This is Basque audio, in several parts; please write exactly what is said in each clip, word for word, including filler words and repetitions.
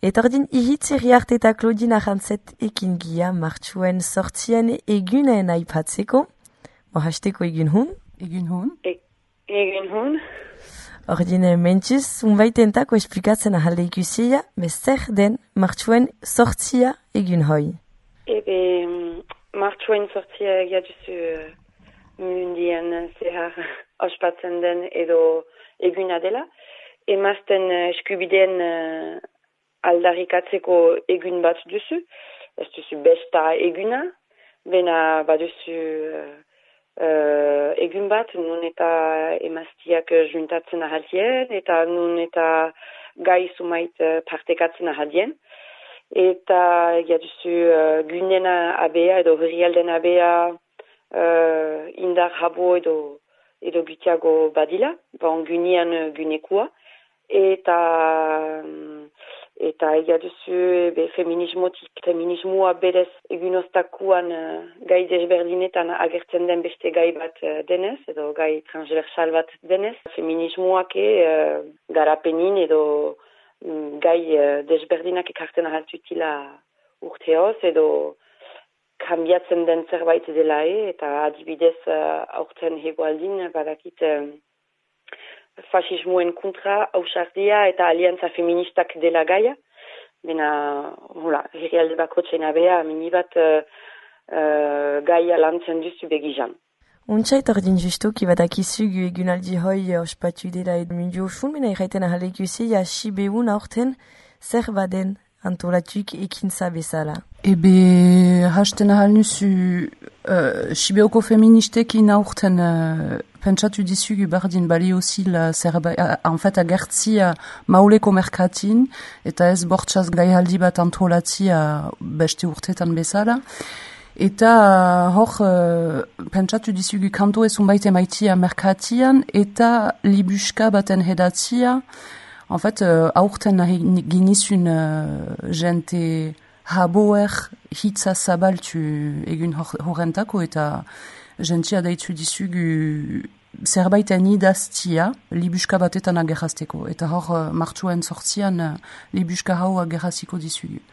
Eta ordin ihitz erriart eta Claudine Arrantzet ekin gia martxuen sortzien egunen aipatzeko. Mohasteko egun hun? Egun hun? E, egun hun? Ordin mentxuz, unbaitentako esplikatzen ahalde ikusia, bezer den martxuen sortzia egun hoi. Ebe, martxuen sortzia egia duzu uh, mundien zehar ospatzen den edo eguna dela. Emazten uh, eskubideen uh, aldarrikatzeko egun bat duzu. Ez duzu besta eguna, bena baduzu uh, uh, egun bat, nun eta emaztiak juntatzen ahaldien, eta nun eta gai sumait uh, partekatzen ahaldien. Eta egia duzu uh, gunena abea edo herrialden abea uh, indar habo edo, edo gutiago badila, bon gunean gunekua. Eta eta egia duzu be, feminismotik, feminismoa berez egunostakuan uh, gai desberdinetan agertzen den beste gai bat uh, denez, edo gai transversal bat denez. Feminismoak uh, garapenin edo um, gai uh, desberdinak ekartzen ahaltutila urteoz, edo kambiatzen den zerbait dela e, eta adibidez uh, aurten hegoaldin badakit uh, fasismoen kontra ausardia eta aliantza feministak dela gaia. Bena, hola, herrialde bakotxen abea, minibat uh, uh, gaia lantzen duzu begizan. Untsait ordin justu, ki badakizu gu egunaldi hoi ospatu dela edo mundu osun, bena erraiten ahale ikusi, ja sibeun aurten zer baden antolatuk ekintza bezala. Ebe, hasten ahal nuzu, uh, Sibeoko feministekin aurten uh, pentsatu dizugu bardin balio zila zerbait, uh, en fait agertzia mauleko merkatin, eta ez bortxaz gaihaldi bat antolatzia beste urtetan bezala. Eta uh, hor, uh, pentsatu dizugu kanto ezun baite maitia merkatian, eta libuska baten hedatzia. En fait, uh, aurten ginizun uh, jente haboer hitza zabaltu egun horrentako, eta jentia daitu dizugu zerbaiten idaztia libuska batetan agerrazteko. Eta hor, uh, martxuen sortzian uh, libuska hau agerraziko dizugu.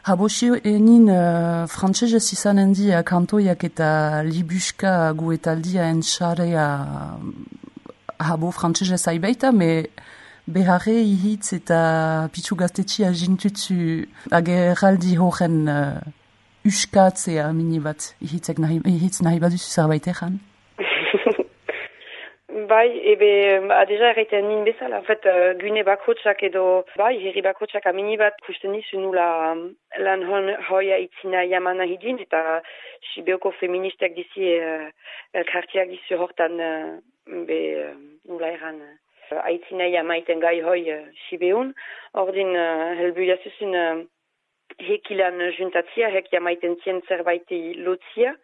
Habosi enin uh, frantsesez izanen dia kantoiak eta libuska guetaldia entxarea habo frantsesez aibaita, me beharre ihitz eta pitzu gaztetxia jintutzu agerraldi horren uh, uskatzea mini bat ihitzek nahi, ihitz nahi baduzu zerbait egan? Bai, ebe, adeja erraiten nin bezala, en fait, uh, gune bakotxak edo, bai, herri bakotxak amini bat kusten nizu nula lan hon hoia itzina jamana hidin, eta Sibeoko feministak dizi, uh, kartiak dizu hortan, uh, be, uh, nula eran, uh, aitzina jamaiten gai hoi uh, Sibeun, ordin uh, helbuia zuzun uh, hekilan juntatzia, hek jamaiten zien zerbaiti lotzia,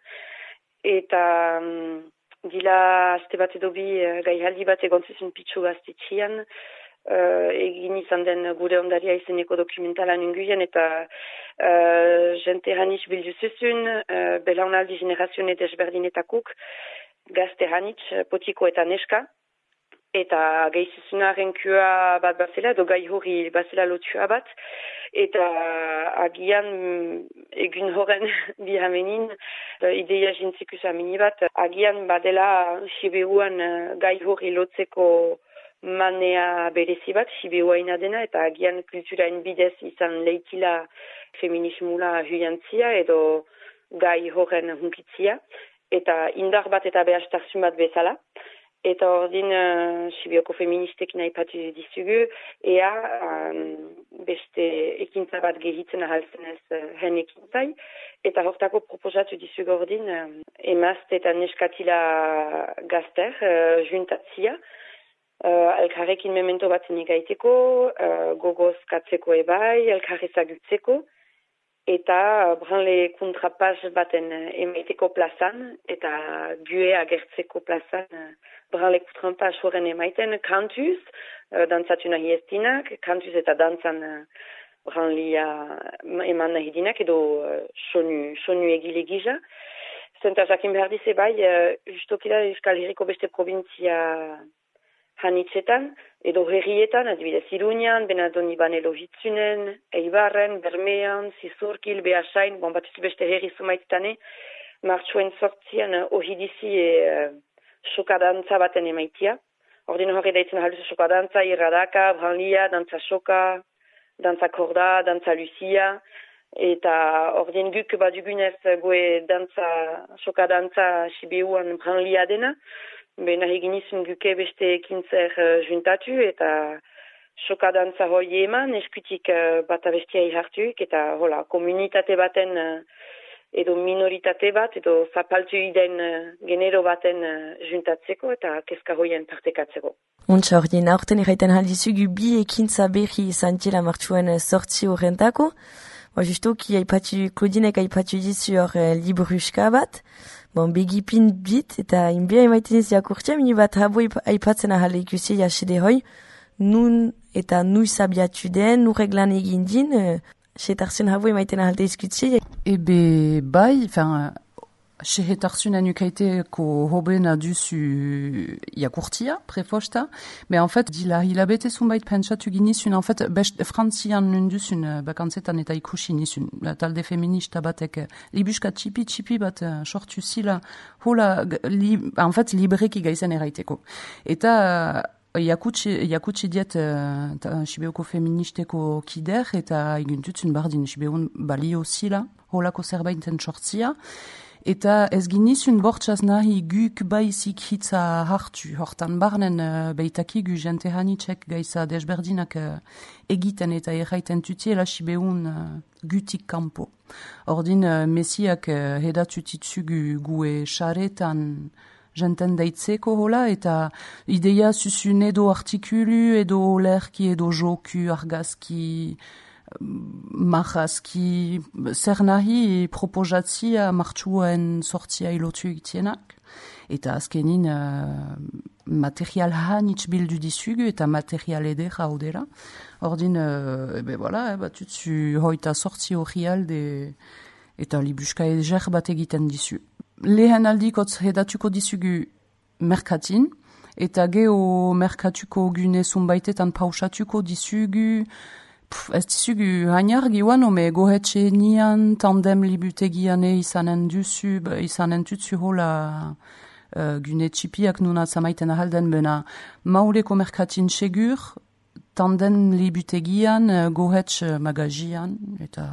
eta um, Dila azte bat edo bi uh, gaihaldi bat egontzizun pitzu gaztetxian, uh, egin izan den gure ondaria izeneko dokumentalan unguien, eta uh, jente hanitz bilduzuzun, uh, belaunaldi generazione desberdinetakuk, gazte hanitz, potiko eta neska, eta geizizuna renkua bat bazela, edo gai hori bazela lotua bat, eta agian egun horren bihamenin ideia jintzikus amini bat, agian badela Sibeuan gai hori lotzeko manea berezi bat, Sibeua inadena, eta agian kulturain bidez izan leitila feminismula huiantzia edo gai horren hunkitzia, eta indar bat eta behastarsun bat bezala. Eta ordin uh, Sibeoko feministek nahi patu dizugu, ea um, beste ekintza bat gehitzen ahaltzen ez uh, hen ekintzai. Eta hortako proposatu dizugu ordin, uh, emazte eta neskatila gazter, uh, juntatzia, uh, elkarrekin memento bat negaiteko, uh, gogoz katzeko ebai, elkarrezagutzeko, eta uh, branle kontrapaz baten uh, emaiteko plazan, eta gue agertzeko plazan, uh, branle kontrapaz horren emaiten kantuz, uh, dantzatu nahi ez dinak, kantuz eta dantzan uh, branlia eman nahi dinak, edo uh, sonu, sonu egile giza. Zenta jakin behar dize bai, uh, justokila Euskal Herriko beste provintzia hanitzetan, edo herrietan, adibidez Iruñan, Benadoni Logitzunen, Eibarren, Bermean, Zizurkil, Beasain, bon, bat beste herri zumaitztane, martxuen sortzian uh, ohidizi e uh, sokadantza baten emaitia. Ordin horre daitzen haluzu sokadantza, irradaka, branlia, dantza soka, dantza korda, dantza lucia, eta ordin guk badugunez goe dantza, sokadantza sibeuan branlia dena, ben nahiginizun guke beste ekintzer uh, juntatu eta sokadantza hoi eman, eskutik uh, bat abestia ihartuik, eta hola, komunitate baten uh, edo minoritate bat, edo zapaltu iden uh, genero baten uh, juntatzeko eta kezka hoien partekatzeko. Untsa ordin, aurten erraiten haldizugu bi ekintza berri izan tila martxuen sortzi horrentako. Ba, justuki aipatu, Klodinek aipatu dizu hor eh, libruska bat. Bon, begipin bit, eta inbia emaiten ez jakurtia, mini bat habo aipatzen ahal ikusi jasede hoi, nun eta nui sabiatu den, nu reglan egin din, uh, setarzen habo emaiten ahal diskutsi. Ebe bai, enfin, setarzen anukaiteko hobena duzu jakurtia, prefosta, mais en fait, dila hilabete zunbait pentsatu ginizun, en fait, best frantzian nunduzun bakantzetan eta ikusi nizun, talde feminista batek, libuska txipi-txipi bat sortu zila, hola, li, en fait, libreki gaizen eraiteko. Eta Jakutsi, jakutsi diet uh, Sibeoko feministeko kider eta eguntutzen bardin Sibeon balio zila, holako zerbaiten sortzia. Eta ez ginizun bortxaz nahi guk baizik hitza hartu, hortan barnen uh, beitakigu jente hanitxek gaiza desberdinak uh, egiten eta erraiten tutiela Sibeon uh, gutik kampo. Ordin uh, mesiak uh, hedatutitzugu gue xaretan jenten daitzeko hola, eta ideia zuzun edo artikulu, edo olerki, edo joku, argazki, marrazki, zer nahi proposatzia martxuen sortzia ilotu egitienak. Eta azkenin uh, material hanitz bildu dizugu, eta material edera odera. Ordin, uh, ebe voilà, eh, batutzu hoita sortzi hori alde, eta libuska eger bat egiten dizu. Lehen aldikotz hedatuko dizugu merkatin, eta geho merkatuko gune zunbaitetan pausatuko dizugu, pff, ez dizugu hainar giuan, ome gohetxe nian, tandem libutegiane izanen duzu, izanen tutzu hola uh, gune txipiak nuna zamaiten ahalden bena. Mauleko merkatin segur, tandem libutegian, uh, gohetxe magazian, eta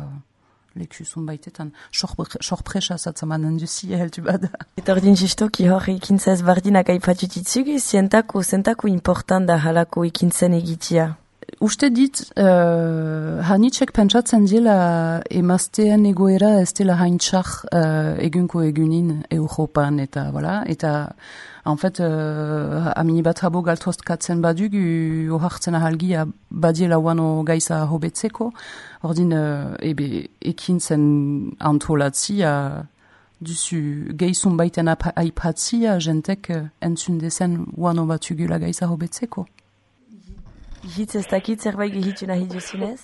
leku zunbaitetan, sorpresa zatzamanen duzi heltu bada. Eta ordin jistoki hori ikintzaz bardinak aipatutitzugu, zientako, zientako important da halako ikintzen egitia. Uste dit, uh, hanitxek pentsatzen dela emazteen egoera ez dela haintxak uh, egunko egunin Europan, eta, voilà, eta en fait, uh, amini bat habo galtozkatzen badugu, ohartzen ahalgia badiela wano gaiza hobetzeko, ordin, uh, ebe, ekintzen antolatzia, duzu geizun baiten aipatzia, jentek uh, entzun dezen wano batugula gaiza hobetzeko. Hitz ez dakit zerbait gehitu nahi duzinez?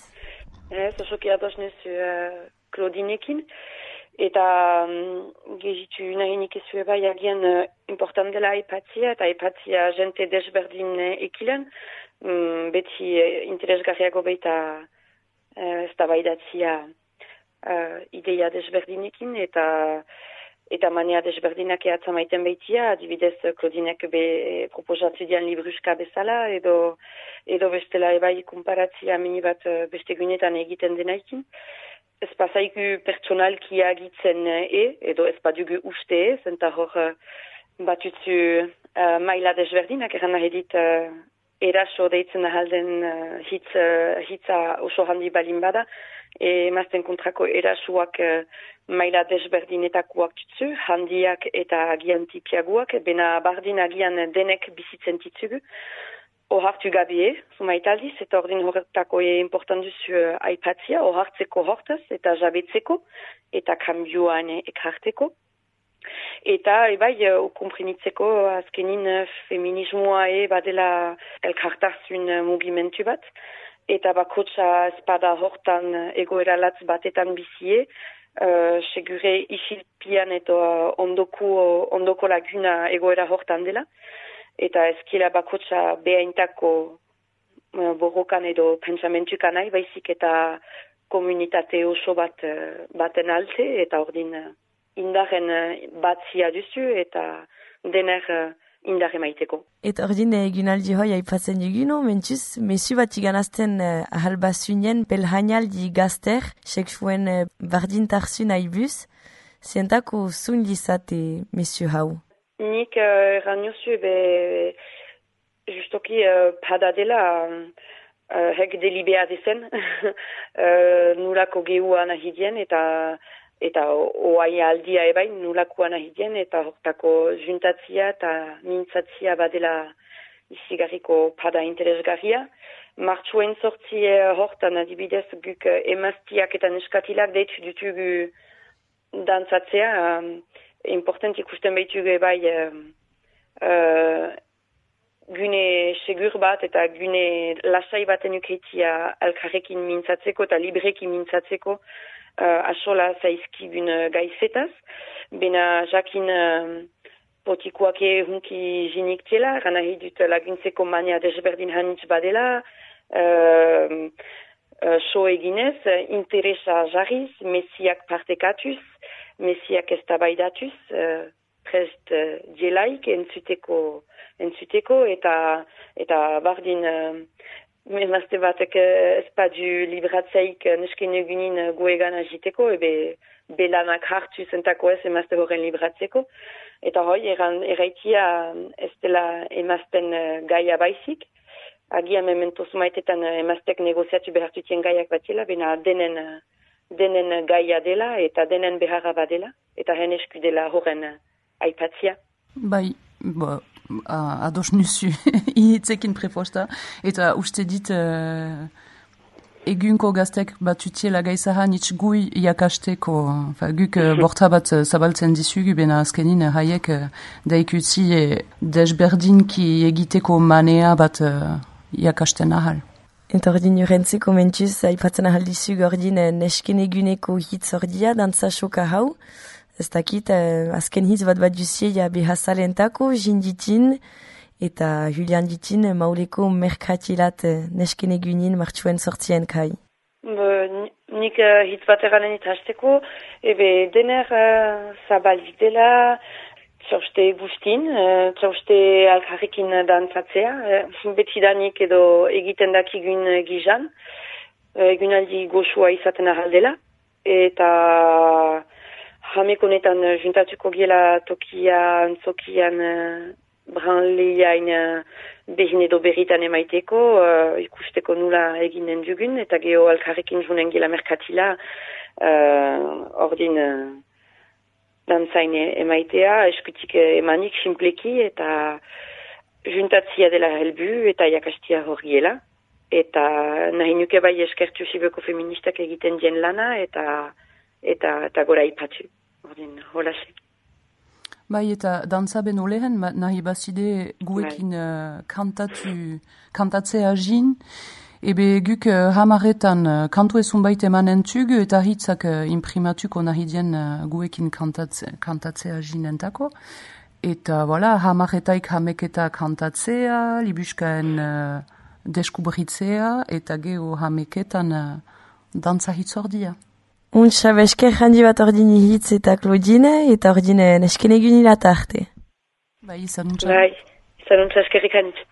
Ez, osoki ados nezu uh, Klodinekin. Eta um, gehitu nahi nik ezu eba jagian uh, important dela aipatzia, eta aipatzia jente desberdin uh, ekilen. Um, beti uh, interesgarriago baita uh, ez da baidatzia uh, ideia desberdinekin, eta eta mania desberdinak ehatza maiten baitia, adibidez Klodinek be proposatzu dian libruska bezala, edo edo bestela ebai komparatzia mini bat beste gunetan egiten denaikin. Ez pasaiku pertsonalki agitzen e, edo ez badugu uste e, zenta hor batutzu uh, maila desberdinak eran nahi dit uh, eraso deitzen ahalden uh, hitz, uh, hitza oso handi balin bada, e, mazten kontrako erasuak uh, maila desberdinetakoak tutzu, handiak eta agian tipiaguak, bena bardin agian denek bizitzen titzugu. Ohartu gabie, zumaitaldiz, eta ordin horretako e important duzu uh, aipatzia, ohartzeko hortaz, eta jabetzeko, eta kambioan ekarteko. Eta, ebai, uh, komprimitzeko azkenin uh, feminismoa e badela elkartarzun uh, mugimentu bat, eta bakotsa espada hortan uh, egoera latz batetan bizie, Uh, segure isilpian eta uh, ondoko, ondoko laguna egoera hortan dela. eta ezkila bakotsa behaintako uh, borrokan edo pentsamentukan nahi, baizik eta komunitate oso bat uh, baten alte, eta ordin uh, indaren uh, batzia duzu, eta dener uh, indare maiteko. Eta ordin egunaldi hoi aipatzen duguno, mentuz, mesu bat iganazten uh, ahalbasunien pelhainaldi gazter, seksuen uh, bardintarzu nahi buz, zientako zun lizate mesu hau? Nik uh, erran jozu, be, justoki uh, padadela uh, hek delibea dezen, uh, nulako gehu anahidien, eta eta oai aldia ebain nulako anahidien, eta hortako juntatzia eta mintzatzia badela izigarriko pada interesgarria. Martxuen sortzi hortan adibidez guk emaztiak eta neskatilak deitu dutugu dantzatzea, um, important ikusten behitugu ebai uh, uh, gune segur bat eta gune lasai baten ukeitia alkarrekin mintzatzeko eta librekin mintzatzeko uh, asola zaizkigun uh, gaizetaz. Bena jakin uh, potikuake hunki jinik tela, gana hidut laguntzeko mania desberdin hanitz badela, uh, uh, so eginez, interesa jarriz, mesiak partekatuz, mesiak eztabaidatuz, uh, prest uh, dielaik entzuteko, entzuteko eta eta bardin uh, emazte batek uh, espadu libratzeik uh, nesken egunin uh, goegan agiteko, ebe belanak hartu zentako ez emazte horren libratzeko. Eta hoi, eran, eraitia ez dela emazten uh, gaia baizik. Agia mementoz maitetan uh, emaztek negoziatu behartutien gaiak batila, bena denen, uh, denen gaia dela eta denen beharra badela, eta hen esku dela horren uh, aipatzia. Bai, bo, uh, ados nusu ihitzekin preposta, eta uste dit uh, egunko gaztek batutiela gaizahan itx gui iakasteko, fa, guk uh, borta bat uh, zabaltzen dizugu, bena azkenin uh, haiek uh, daikutzi uh, desberdinki egiteko manea bat uh, iakasten ahal. Eta ordin urentzeko mentuz, aipatzen ahal dizug ordin uh, nesken eguneko hitz ordia, dantza soka hau. Ez dakit, uh, azken hitz bat bat duzia behazalentako, jinditin, eta Julian ditin mauleko merkatilat uh, nesken egunin martxuen sortzien kai. Nik uh, hitz bat eranen itazteko, ebe dener uh, zabalik dela, txauste guztin, uh, txauste alkarrekin dantzatzea, uh, betidanik edo egiten dakigun uh, gizan, uh, egunaldi goxua izaten ahaldela, eta hamekonetan uh, juntatuko gela tokia, antzokian, uh, branleiain uh, behin edo berritan emaiteko, uh, ikusteko nula eginen dugun, eta geho alkarrekin junen gela merkatila, uh, ordin uh, dantzain emaitea, eskutik emanik simpleki, eta juntatzia dela helbu, eta jakastia horriela, eta nahi nuke bai eskertu Sibioko feministak egiten dien lana, eta eta, eta gora ipatu, ordin holase. Bai, eta dantza beno lehen, nahi bazide guekin uh, kantatu, kantatzea jin, ebe guk uh, hamaretan uh, kantu ezun baita emanen tug, eta hitzak uh, imprimatuko nahi dien uh, guekin kantatze, kantatzea jinentako. Eta, voilà, hamaretaik hameketa kantatzea, libuskaen uh, deskubritzea, eta geho hameketan uh, dantza hitzordia. Untsa besker handi bat ordini hitz eta Claudine, eta ordine nesken egunila arte. Bai, izan untsa. Bai, izan untsa eskerrik hanitz.